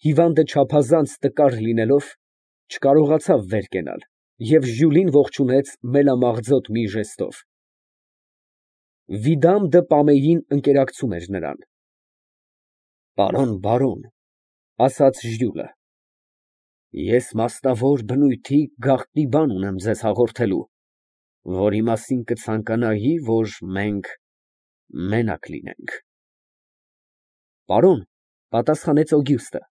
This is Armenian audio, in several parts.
հիվանդը չափազանց տկար լինելով, չկարողացավ վեր կենալ և Ժյուլին ողջունեց մելամաղձոտ մի ժեստով։ Վիդամ դը Պամեին ընկերակցում էր նրան։ Պարոն բարոն, ֊ ասաց Ժյուլը, ֊ ես մասնավոր բնույթի գաղտնի բան ունեմ ձեզ հաղորդելու, որի մասին կցանկանայի, որ մենք մենակ լինենք։ Պարոն, ֊ պատասխանեց Օգյուստը, ֊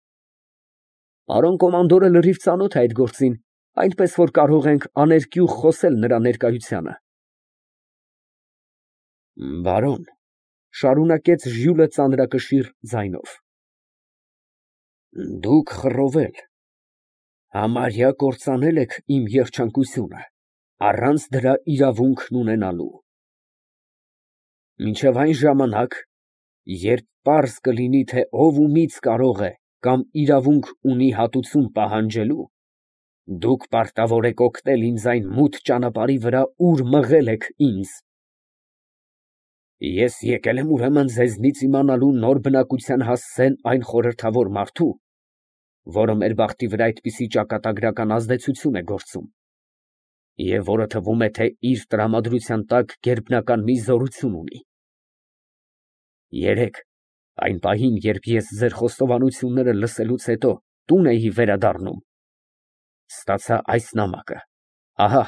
պարոն կոմանդորը լրիվ ծանոթ է այդ գործին, այնպես որ կարող ենք աներկյուղ խոսել նրա ներկայությանը։ Բարոն, ֊ շարունակեց Ժյուլը ծանրակշիռ ձայնով, ֊ դուք խռովել, համարյա կործանել եք իմ երջանկությունը, առանց դրա իրավունքն ունենալու։ Մինչև այն ժամանակ, երբ պարզ կլինի, թե ով ումից կարող է կամ իրավունք ունի հատուցում պահանջելու, դուք պարտավոր եք օգնել ինձ այն մութ ճանապարհի վրա, ուր մղել եք ինձ։ Ես եկել եմ ուրեմն ձեզնից իմանալու նոր բնակության հասցեն այն խորհրդավոր մարդու, որը մեր բախտի վրա այդպիսի ճակատագրական ազդեցություն է գործում, և որը թվում է, թե իր տրամադրության տակ գերբնական մի զորություն ունի։ Երեկ, այն պահին, երբ ես ձեր խոստովանությունները լսելուց հետո տուն էի վերադառնում, ստացա այս նամակը, ահա։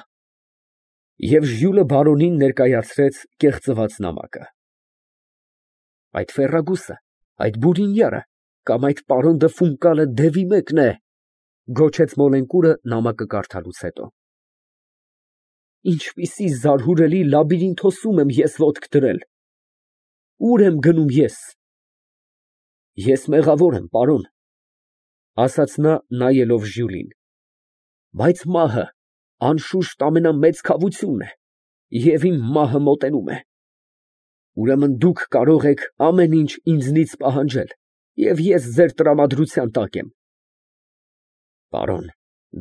Եվ Ժյուլը բարոնին ներկայացրեց կեղծված նամակը։ Այդ ֆեռագուսը, այդ բուրինյարը կամ այդ պարոն դը Ֆունկալը դևի մեկն է, ֊ գոչեց Մոլենկուրը նամակը կարդալուց հետո։ Ինչպիսի զարհուրելի լաբիրինթոսում եմ ես ոտք դրել։ Ուր եմ գնում ես։ Ես մեղավոր եմ, պարոն, ֊ ասաց նա, նայելով Ժյուլին, ֊ բայց մահը անշուշտ ամենամեծ քավությունն է, և իմ մահը մոտենում է։ Ուրեմն դուք կարող եք ամեն ինչ ինձնից պահանջել, և ես ձեր տրամադրության տակ եմ։ Պարոն,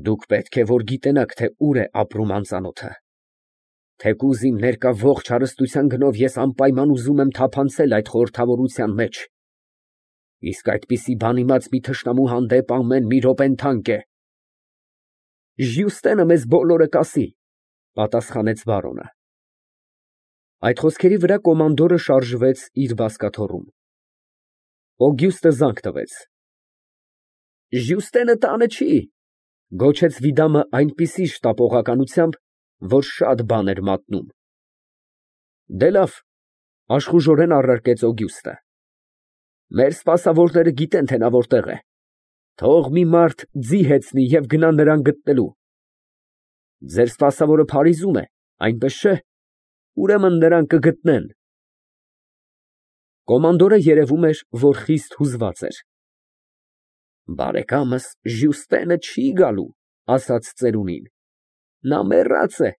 դուք պետք է որ գիտենաք, թե ուր է ապրում անծանոթը։ Թեկուզ իմ ներկա ողջ հարստության գնով ես անպայման ուզում եմ թափանցել այդ խորհրդավորության մեջ, իսկ այդպիսի բան իմաց մի թշնամու հանդեպ ամեն մի րոպեն թանկ է։ Ժյուստենը մեզ բոլորը կասի, ֊ պատասխանեց բարոնը։ Այդ խոսքերի վրա կոմանդորը շարժվեց իր բազկաթոռում։ Օգյուստը զանգ տվեց։ Ժյուստենը տանը չի, ֊ գոչեց Վիդամը այնպիսի շտապողականությամբ, որ շատ բան էր մատնում։ Դե լավ, ֊ աշխուժորեն առարկեց Օգյուստը, ֊ մեր սպասավորները գիտեն, թե նա որտեղ է։ Թող մի մարդ ձի հեծնի և գնա նրան գտնելու։ Ձեր սպասավորը Փարիզում է, այնպես չէ՞։ Ուրեմն նրան կգտնեն։ Կոմանդորը երևում էր, որ խիստ հուզված էր։ Բարեկամս Ժյուստենը չի գալու, ֊ ասաց ծերունին։ Նա մեռած է,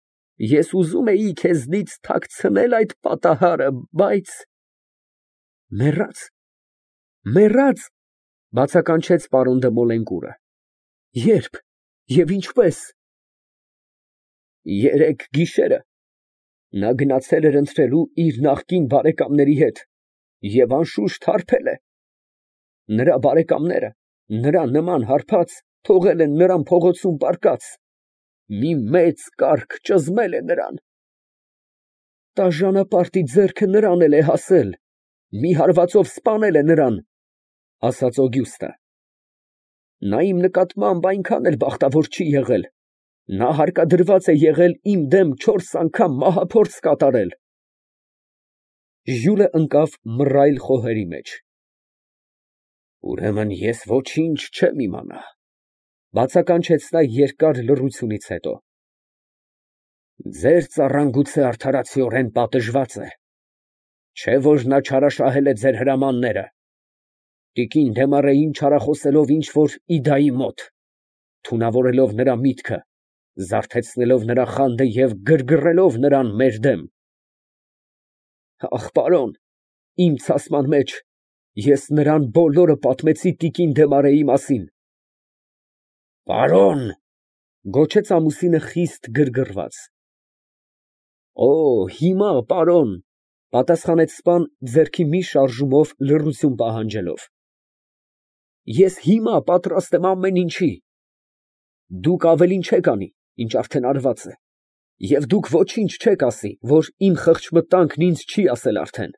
ես ուզում էի քեզնից թաքցնել այդ պատահարը, բայց… Մեռա՞ծ, մեռա՞ծ, ֊ բացականչեց պարոն դը Մոլենկուրը։ Ե՞րբ և ինչպե՞ս։ Երեկ գիշերը նա գնացել էր ընթրելու իր նախկին բարեկամների հետ և անշուշտ հարբել է։ Նրա բարեկամները, նրա նման հարբած, թողել են նրան փողոցում պառկած, մի մեծ կառք ճզմել է նրան։ Տաժանապարտի ձեռքը նրան էլ է հասել, մի հարվածով սպանել է նրան, ֊ ասաց Օգյուստը։ Նա իմ նկատմամբ այնքան էլ բախտավոր չի եղել, նա հարկադրված է եղել իմ դեմ 4 անգամ մահափորձ կատարել։ Ժյուլը ընկավ մռայլ խոհերի մեջ։ Ուրեմն ես ոչինչ չեմ իմանա, ֊ բացականչեց նա երկար լռությունից հետո։ Ձեր ծառան գուցե արդարացիորեն պատժված է, չէ՞ որ նա չարաշահել է ձեր հրամանները, տիկին Դեմարեին չարախոսելով ինչ֊որ Իդայի մոտ, թունավորելով նրա միտքը, զարթեցնելով նրա խանդը և գրգռելով նրան մեր դեմ։ Ախ, պարոն, իմ ցասման մեջ ես նրան բոլորը պատմեցի տիկին Դեմարեի մասին։ Պարոն, ֊ գոչեց ամուսինը խիստ գրգռված։ Օ, հիմա, պարոն, ֊ պատասխանեց սպան ձեռքի մի շարժումով լռություն պահանջելով։ Ես հիմա պատրաստ եմ ամեն ինչի։ Դուք ավելին չեք անի, ինչ արդեն արված է, և դուք ոչինչ չեք ասի, որ իմ խղճմտանքն ինձ չի ասել արդեն։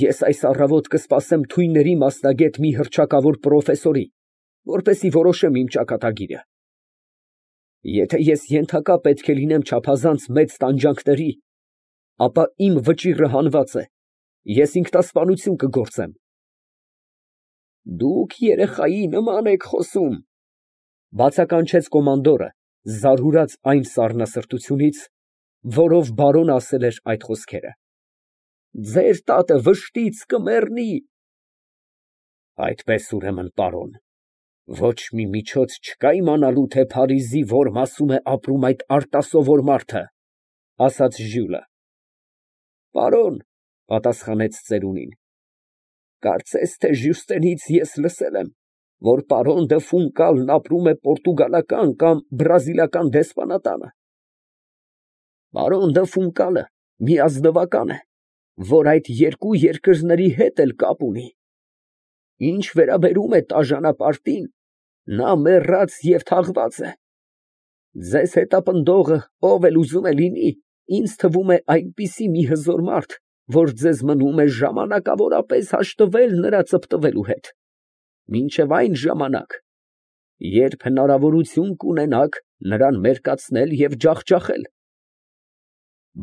Ես այս առավոտ կսպասեմ թույնների մասնագետ մի հռչակավոր պրոֆեսորի, որպեսզի որոշեմ իմ ճակատագիրը։ Եթե ես ենթակա պետք է լինեմ չափազանց մեծ տանջանքների, ապա իմ վճիռը հանված է, ես ինքնասպանություն կգործեմ։ Դուք երեխայի նման եք խոսում, բացականչեց կոմանդորը, զարհուրած այն սառնասրտությունից, որով բարոնը ասել էր այդ խոսքերը։ Ձեր տատը վշտից կմեռնի։ Այդպես ուրեմն, պարոն, ոչ մի միջոց չկա իմանալու, թե Փարիզի որ մասում է ապրում այդ արտասովոր մարդը, ասաց Ժյուլը։ Պարոն, պատասխանեց ծերունին, կարծես թե Ժյուստենից ես լսել եմ, որ պարոն դը Ֆունկալն ապրում է պորտուգալական կամ բրազիլական դեսպանատանը։ Պարոն դը Ֆունկալը մի ազնվական է, որ այդ երկու երկրների հետ էլ կապ ունի։ Ինչ վերաբերում է տաժանապարտին, նա մեռած և թաղված է։ Ձեզ հետապնդողը, ով էլ ուզում է լինի, ինձ թվում է այնպիսի մի հզոր մարդ, որ ձեզ մնում է ժամանակավորապես հաշտվել նրա ծպտվելու հետ, մինչև այն ժամանակ, երբ հնարավորություն կունենաք նրան մերկացնել և ջախջախել։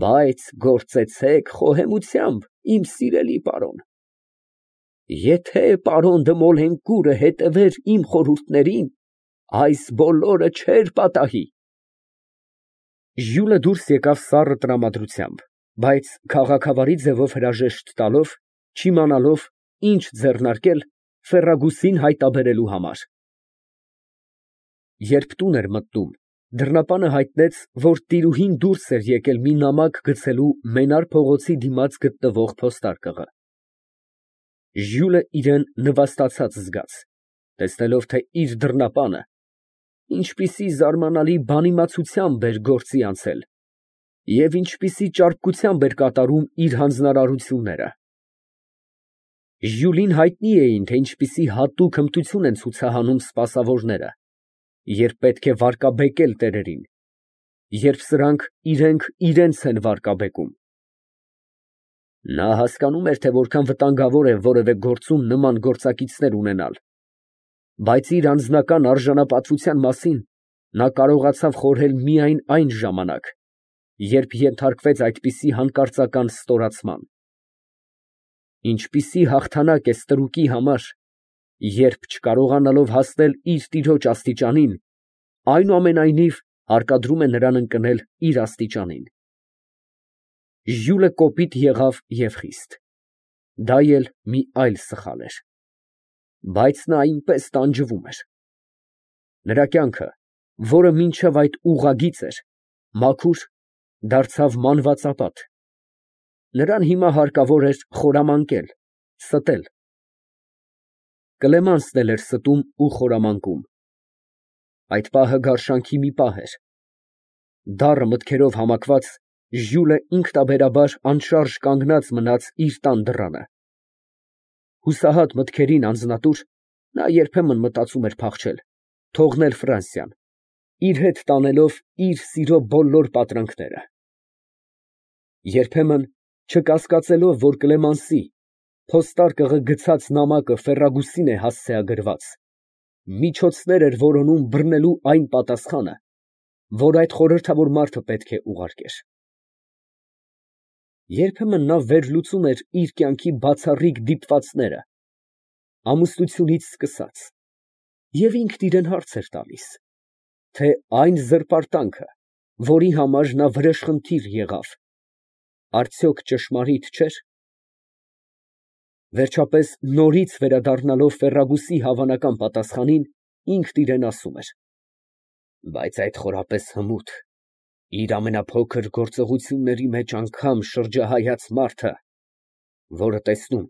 Բայց գործեցեք խոհեմությամբ, իմ սիրելի պարոն։ Եթե պարոն դը Մոլենկուրը հետևեր իմ խորհուրդներին, այս բոլորը չէր պատահի։ Ժյուլը դուրս եկավ սառը տրամադրությամբ, բայց քաղաքավարի ձևով հրաժեշտ տալով, չիմանալով, ինչ ձեռնարկել Ֆերրագուսին հայտնաբերելու համար։ Երբ տուն էր մտնում, դռնապանը հայտնեց, որ տիրուհին դուրս էր եկել մի նամակ գցելու Մենար փողոցի դիմաց գտնվող փոստարկղը։ Ժյուլը իրան նվաստացած զգաց, տեսնելով, թե իր դռնապանը ինչպիսի զարմանալի բանիմացությամբ էր գործի անցել և ինչպիսի ճարպկությամբ էր կատարում իր հանձնարարությունները։ Ժյուլին հայտնի էին, թե ինչպիսի հատուկ հմտություն են ցուցահանում սպասավորները, երբ պետք է վարկաբեկել տերերին, երբ սրանք իրենք իրենց են վարկաբեկում։ Նա հասկանում էր, թե որքան վտանգավոր է որևէ գործում նման գործակիցներ ունենալ, բայց իր անձնական արժանապատվության մասին նա կարողացավ խորհել միայն այն ժամանակ, երբ ենթարկվեց այդպիսի հանկարծական ստորացման։ Ինչպիսի հաղթանակ է ստրուկի համար, երբ չկարողանալով հասնել իր տիրոջ աստիճանին, այնուամենայնիվ հարկադրում է նրան ընկնել իր աստիճանին։ Ժյուլը կոպիտ եղավ և խիստ։ Դա էլ մի այլ սխալ էր։ Բայց նա այնպես տանջվում էր։ Նրա կյանքը, որը մինչև այդ ուղղագիծ էր, մաքուր, դարձավ մանվածապատ։ Նրան հիմա հարկավոր էր խորամանկել, ստել։ Կլեմանսն էլ էր ստում ու խորամանկում։ Այդ պահը գարշանքի մի պահ էր։ Դառը մտքերով համակված, Ժյուլը ինքնաբերաբար անշարժ կանգնած մնաց իր տան դռանը։ Հուսահատ մտքերին անձնատուր, նա երբեմն մտածում էր փախչել, թողնել Ֆրանսիան, իր հետ տանելով իր սիրո բոլոր պատրանքները։ Երբեմն, չկասկածելով, որ Կլեմանսի փոստարկղը գցած նամակը Ֆերրագուսին է հասցեագրված, միջոցներ էր որոնում բռնելու այն պատասխանը, որ այդ խորհրդավոր մարդը պետք է ուղարկեր։ Երբեմն նա վերլուծում էր իր կյանքի բացառիկ դիպվածները, ամուսնությունից սկսած, և ինքն իրան հարց էր տալիս, թե այն զրպարտանքը, որի համար նա վրեժխնդիր եղավ, արդյոք ճշմարիտ չէր։ Վերջապես, նորից վերադառնալով Ֆերրագուսի հավանական պատասխանին, ինքն իրան ասում էր. բայց այդ խորապես հմուտ, իր ամենափոքր գործողությունների մեջ անգամ շրջահայաց մարդը, որը տեսնում,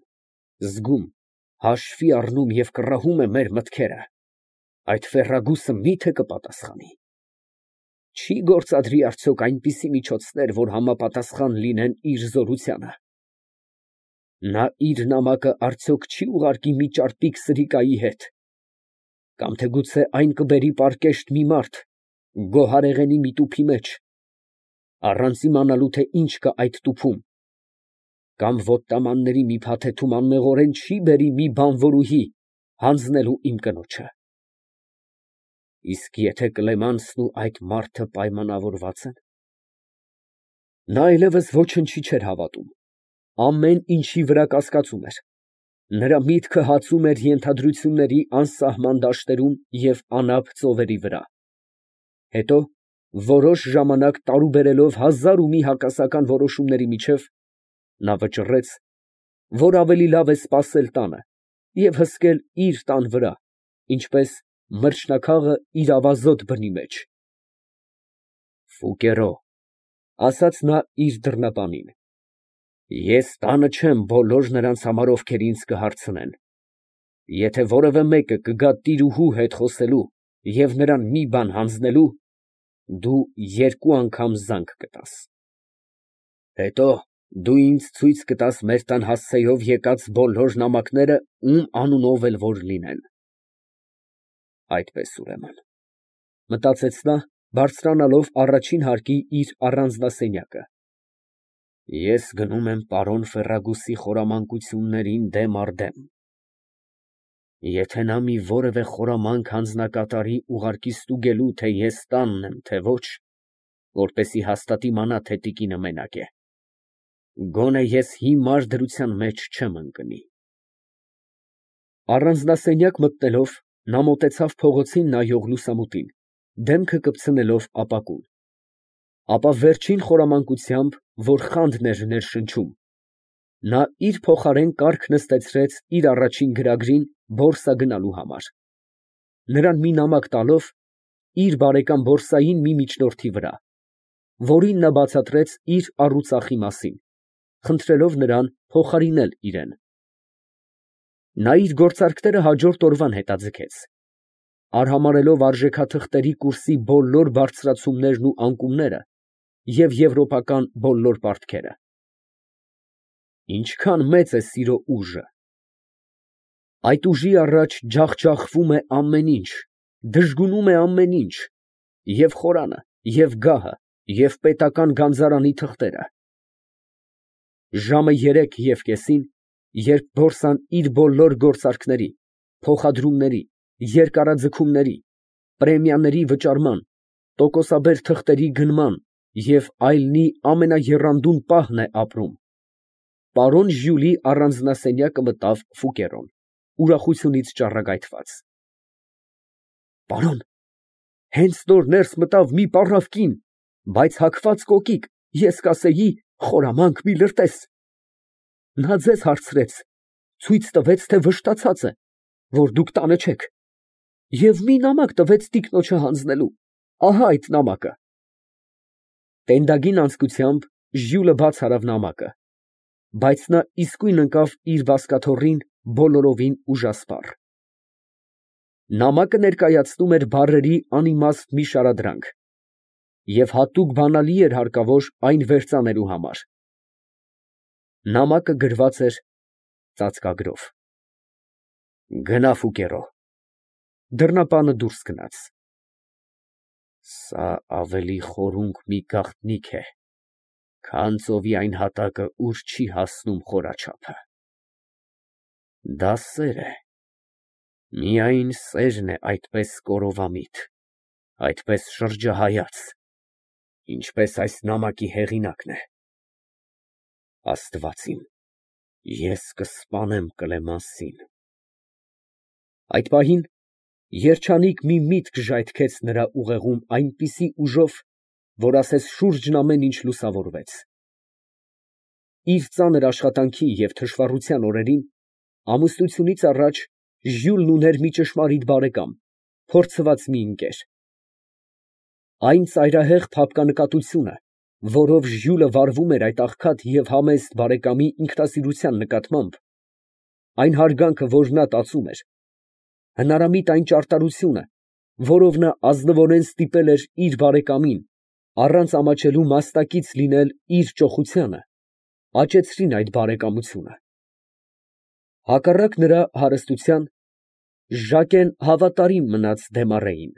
զգում, հաշվի առնում և կռահում է մեր մտքերը, այդ Ֆերրագուսը մի՞թե կպատասխանի։ Չի գործադրի արդյոք այնպիսի միջոցներ, որ համապատասխան լինեն իր զորությանը։ Նա իր նամակը արդյոք չի ուղարկի մի ճարպիկ սրիկայի հետ, կամ թե գուցե այն կբերի պարկեշտ մի մարդ, գոհարեղենի մի տուփի մեջ, առանց իմանալու, թե ինչ կա այդ տուփում, կամ ոտնամանների մի փաթեթում անմեղորեն չի բերի մի բանվորուհի հանձնելու իմ կնոջը։ Իսկ եթե Կլեմանսն ու այդ մարդը պայմանավորված են։ Նա այլևս ոչնչի չէր հավատում, ամեն ինչի վրա կասկածում էր, նրա միտքը հացում էր ենթադրությունների անսահման դաշտերում և անապ ծովերի վրա։ Հետո, որոշ ժամանակ տարուբերելով հազար ու մի հակասական որոշումների միջև, նա վճռեց, որ ավելի լավ է սպասել տանը և հսկել իր տան վրա, ինչպես մրջնակաղը իր ավազոտ բնի մեջ։ «Ֆուկերո», ֊ ասաց նա իր դռնապանին, ֊ ես տանը չեմ բոլոր նրանց համար, ովքեր ինձ կհարցնեն. եթե որևէ մեկը կգա տիրուհու հետ խոսելու և նրան մի բան հանձնելու, դու երկու անգամ զանգ կտաս. հետո դու ինձ ցույց կտաս մեր տան հասցեով եկած բոլոր նամակները, ում անունով էլ որ լինեն։ Այդպես, ուրեմն, մտածեց նա, բարձրանալով առաջին հարկի իր առանձնասենյակը, ես գնում եմ պարոն Ֆերրագուսի խորամանկություններին դեմ առ դեմ. եթե նա մի որևէ խորամանկ հանձնակատարի, ուղարկի ստուգելու, թե ես տանն եմ, թե ոչ, որպեսզի հաստատ իմանա, թե տիկինը մենակ է, գոնե ես հիմար դրության մեջ չեմ ընկնի։ Առանձնասենյակ մտնելով, նա մոտեցավ փողոցին նայող լուսամուտին, դեմքը կպցնելով ապակուն, ապա վերջին խորամանկությամբ, որ խանդն էր ներշնչում, նա իր փոխարեն կառք նստեցրեց իր առաջին գրագրին բորսա գնալու համար, նրան մի նամակ տալով իր բարեկամ բորսային մի միջնորդի վրա, որին նա բացատրեց իր առուծախի մասին, խնդրելով նրան փոխարինել իրան։ Նա իր գործարքները հաջորդ օրվան հետաձգեց, արհամարհելով արժեքաթղթերի կուրսի բոլոր բարձրացումներն ու անկումները և եվրոպական բոլոր պարտքերը։ Ինչքան մեծ է սիրո ուժը։ Այդ ուժի առաջ ջախջախվում է ամեն ինչ, դժգունում է ամեն ինչ, և խորանը, և գահը, և պետական գանձարանի թղթերը։ Ժամը 3:30, երբ բորսան իր բոլոր գործարքների, փոխադրումների, երկարաձգումների, պրեմիաների վճարման, տոկոսաբեր թղթերի գնման և այլնի ամենաեռանդուն պահն է ապրում, պարոն Ժյուլի առանձնասենյակը մտավ Ֆուկերոն, ուրախությունից ճառագայթված։ Պարոն, հենց նոր ներս մտավ մի պառավ կին, բայց հագված կոկիկ, ես կասեի, խորամանկ մի լրտես։ Նա ձեզ հարցրեց, ցույց տվեց, թե վշտացած է, որ դուք տանը չեք, և մի նամակ տվեց տիկնոջը հանձնելու, ահա այդ նամակը։ Տենդագին անձկությամբ Ժյուլը բաց արավ նամակը, բայց նա իսկույն ընկավ իր բազկաթոռին բոլորովին ուժասպառ։ Նամակը ներկայացնում էր բառերի անիմաստ մի շարադրանք, և հատուկ բանալի էր հարկավոր այն վերծանելու համար։ Նամակը գրված էր ծածկագրով։ Գնա, Ֆուկերո։ Դռնապանը դուրս գնաց։ Սա ավելի խորունկ մի գաղտնիք է, քան ծովի այն հատակը, ուր չի հասնում խորաչափը։ Դա սեր է, միայն սերն է այդպես կորովամիտ, այդպես շրջահայաց, ինչպես այս նամակի հեղինակն է։ Աստված իմ, ես կսպանեմ Կլեմենսին։ Այդ պահին երջանիկ մի միտք ժայթքեց նրա ուղեղում այնպիսի ուժով, որ ասես շուրջն ամեն ինչ լուսավորվեց։ Իր ծանր աշխատանքի և թշվառության օրերին, ամուսնությունից առաջ, Ժյուլն ուներ մի ճշմարիտ բարեկամ, փորձված մի ընկեր։ Այն ծայրահեղ փափկանկատությունը, որով Ժյուլը վարվում էր այդ աղքատ և համեստ բարեկամի ինքնասիրության նկատմամբ, այն հարգանքը, որ նա տածում էր, հնարամիտ այն ճարտարությունը, որով նա ազնվորեն ստիպել էր իր բարեկամին, առանց ամաչելու մաստակից լինել իր ճոխությանը, աճեցրին այդ բարեկամությունը, Հակառակ նրա հարստության, Ժակեն հավատարիմ մնաց Դեմառեին։